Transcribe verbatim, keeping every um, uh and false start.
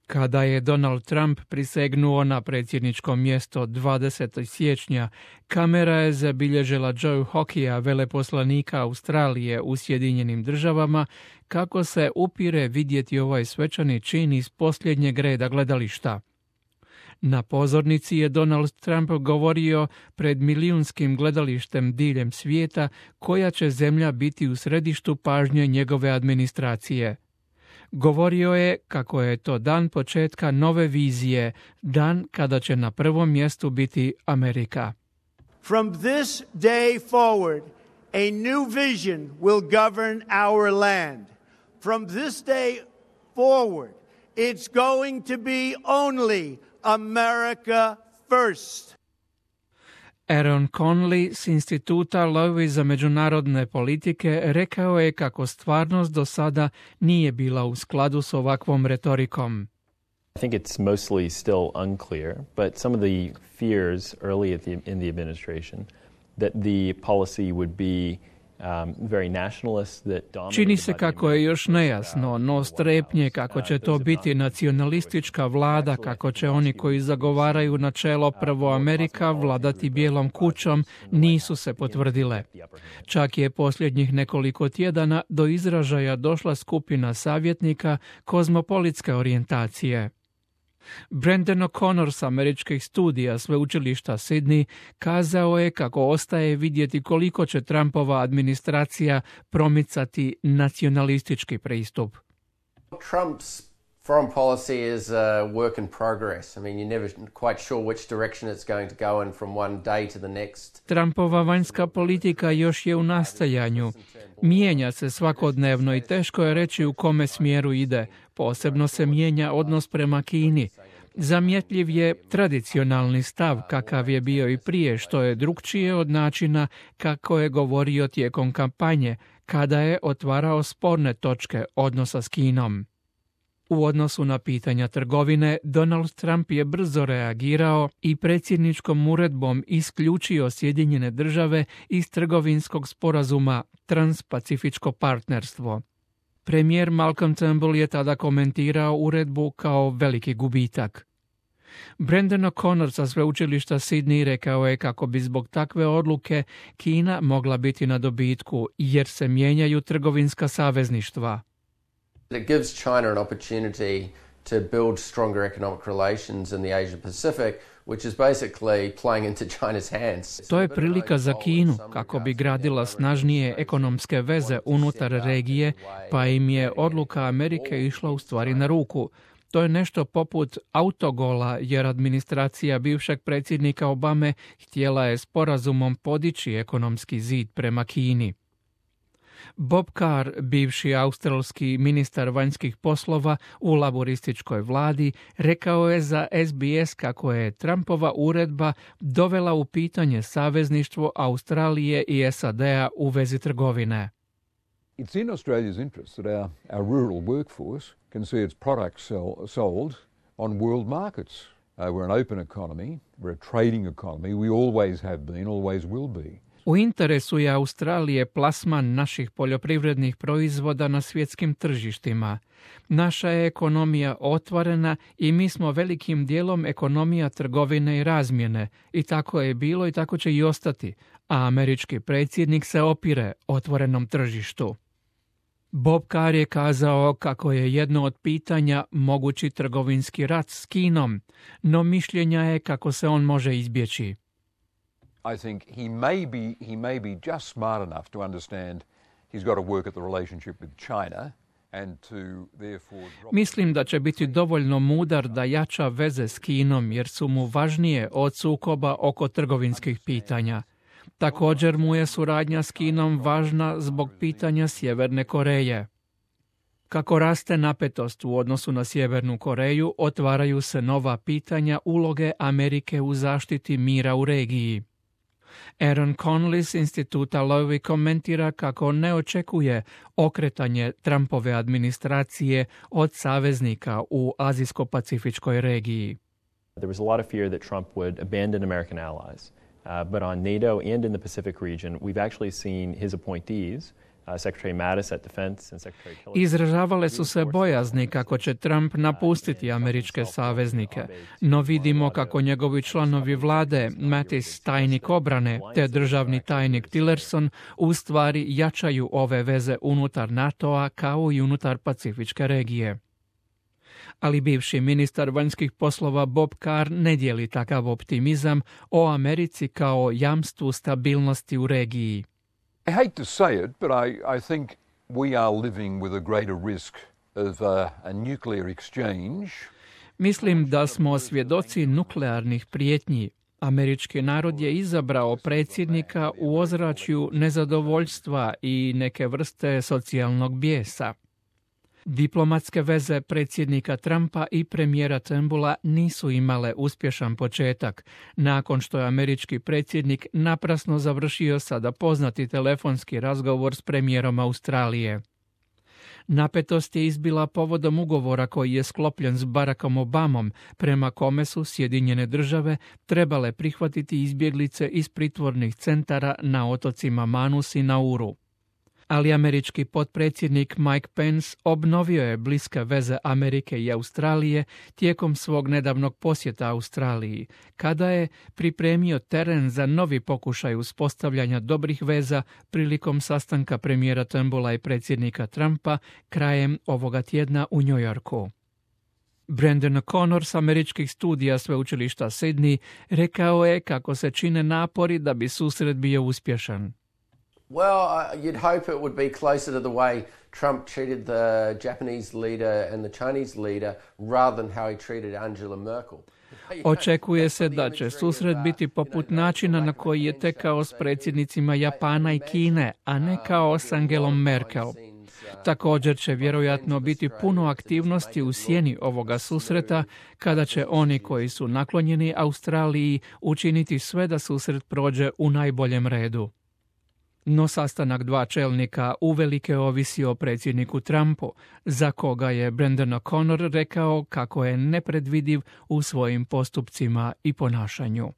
Kada je Donald Trump prisegnuo na predsjedničko mjesto dvadesetog siječnja, kamera je zabilježila Joe Hockeya, veleposlanika Australije u Sjedinjenim državama, kako se upire vidjeti ovaj svečani čin iz posljednjeg reda gledališta. Na pozornici je Donald Trump govorio pred milijunskim gledalištem diljem svijeta koja će zemlja biti u središtu pažnje njegove administracije. Govorio je kako je to dan početka nove vizije, dan kada će na prvom mjestu biti Amerika. From this day forward, a new vision will govern our land. From this day forward, it's going to be only America first. Aaron Conley s instituta Lowy za međunarodne politike rekao je kako stvarnost do sada nije bila u skladu s ovakvom retorikom. I think it's mostly still unclear, but some of the fears early at the, in the administration that the policy would be Um, very nationalist that dominated. Čini se kako je još nejasno, no strepnje kako će to biti nacionalistička vlada, kako će oni koji zagovaraju načelo prvo Amerika vladati bijelom kućom, nisu se potvrdile. Čak je posljednjih nekoliko tjedana do izražaja došla skupina savjetnika kozmopolitske orijentacije. Brandon O'Connor s američkih studija sveučilišta Sydney kazao je kako ostaje vidjeti koliko će Trumpova administracija promicati nacionalistički pristup. Trump's foreign policy is a work in progress. I mean, you're never quite sure which direction it's going to go in from one day to the next. Trumpova vanjska politika još je u nastajanju. Mijenja se svakodnevno i teško je reći u kome smjeru ide. Posebno se mijenja odnos prema Kini. Zamjetljiv je tradicionalni stav kakav je bio i prije, što je drukčije od načina kako je govorio tijekom kampanje, kada je otvarao sporne točke odnosa s Kinom. U odnosu na pitanja trgovine, Donald Trump je brzo reagirao i predsjedničkom uredbom isključio Sjedinjene države iz trgovinskog sporazuma Transpacifičko partnerstvo. Premijer Malcolm Turnbull je tada komentirao uredbu kao veliki gubitak. Brandon O'Connor sa sveučilišta Sydney rekao je kako bi zbog takve odluke Kina mogla biti na dobitku jer se mijenjaju trgovinska savezništva. It gives China an opportunity to build stronger economic relations in the Asia Pacific, which is basically playing into China's hands. To je prilika za Kinu kako bi gradila snažnije ekonomske veze unutar regije, pa im je odluka Amerike išla u stvari na ruku. To je nešto poput autogola, jer administracija bivšeg predsjednika Obame htjela je sporazumom podići ekonomski zid prema Kini. Bob Carr, bivši australski ministar vanjskih poslova u laborističkoj vladi, rekao je za S B S kako je Trumpova uredba dovela u pitanje savezništvo Australije i S A D-a u vezi trgovine. It's in Australia's interest that our, our rural workforce can see its products sell, sold on world markets. Uh, we're an open economy, we're a trading economy, we always have been, always will be. U interesu je Australije plasman naših poljoprivrednih proizvoda na svjetskim tržištima. Naša je ekonomija otvorena i mi smo velikim dijelom ekonomija trgovine i razmjene. I tako je bilo i tako će i ostati, a američki predsjednik se opire otvorenom tržištu. Bob Carr je kazao kako je jedno od pitanja mogući trgovinski rat s Kinom, no mišljenja je kako se on može izbjeći. I think he may be he may be just smart enough to understand he's got to work at the relationship with China and to therefore drop... Mislim da će biti dovoljno mudar da jača veze s Kinom jer su mu važnije od sukoba oko trgovinskih pitanja. Također mu je suradnja s Kinom važna zbog pitanja Sjeverne Koreje. Kako raste napetost u odnosu na Sjevernu Koreju, otvaraju se nova pitanja uloge Amerike u zaštiti mira u regiji. Aaron Conley s instituta Lowy komentira kako ne očekuje okretanje Trumpove administracije od saveznika u Azijsko-Pacifičkoj regiji. There was a lot of fear that Trump would abandon American allies, uh, but on NATO and in the Pacific region, we've actually seen his appointees Izražavale su se bojazni kako će Trump napustiti američke saveznike, no vidimo kako njegovi članovi vlade, Mattis, tajnik obrane, te državni tajnik Tillerson u stvari jačaju ove veze unutar NATO-a kao i unutar Pacifičke regije. Ali bivši ministar vanjskih poslova Bob Carr ne dijeli takav optimizam o Americi kao jamstvu stabilnosti u regiji. I hate to say it, but I, I think we are living with a greater risk of a, a nuclear exchange. Mislim da smo svjedoci nuklearnih prijetnji. Američki narod je izabrao predsjednika u ozračju nezadovoljstva i neke vrste socijalnog bijesa. Diplomatske veze predsjednika Trumpa i premijera Turnbulla nisu imale uspješan početak, nakon što je američki predsjednik naprasno završio sada poznati telefonski razgovor s premijerom Australije. Napetost je izbila povodom ugovora koji je sklopljen s Barackom Obamom, prema kome su Sjedinjene države trebale prihvatiti izbjeglice iz pritvornih centara na otocima Manus i Nauru. Ali američki potpredsjednik Mike Pence obnovio je bliske veze Amerike i Australije tijekom svog nedavnog posjeta Australiji, kada je pripremio teren za novi pokušaj uspostavljanja dobrih veza prilikom sastanka premijera Turnbulla i predsjednika Trumpa krajem ovoga tjedna u New Yorku. Brandon O'Connor s američkih studija sveučilišta Sydney rekao je kako se čine napori da bi susret bio uspješan. Well, uh, you'd hope it would be closer to the way Trump treated the Japanese leader and the Chinese leader rather than how he treated Angela Merkel. Očekuje se da će susret biti poput načina na koji je tekao s predsjednicima Japana i Kine, a ne kao s Angelom Merkel. Također će vjerojatno biti puno aktivnosti u sjeni ovoga susreta, kada će oni koji su naklonjeni Australiji učiniti sve da susret prođe u najboljem redu. No sastanak dva čelnika uvelike ovisi o predsjedniku Trumpu, za koga je Brandon O'Connor rekao kako je nepredvidiv u svojim postupcima i ponašanju.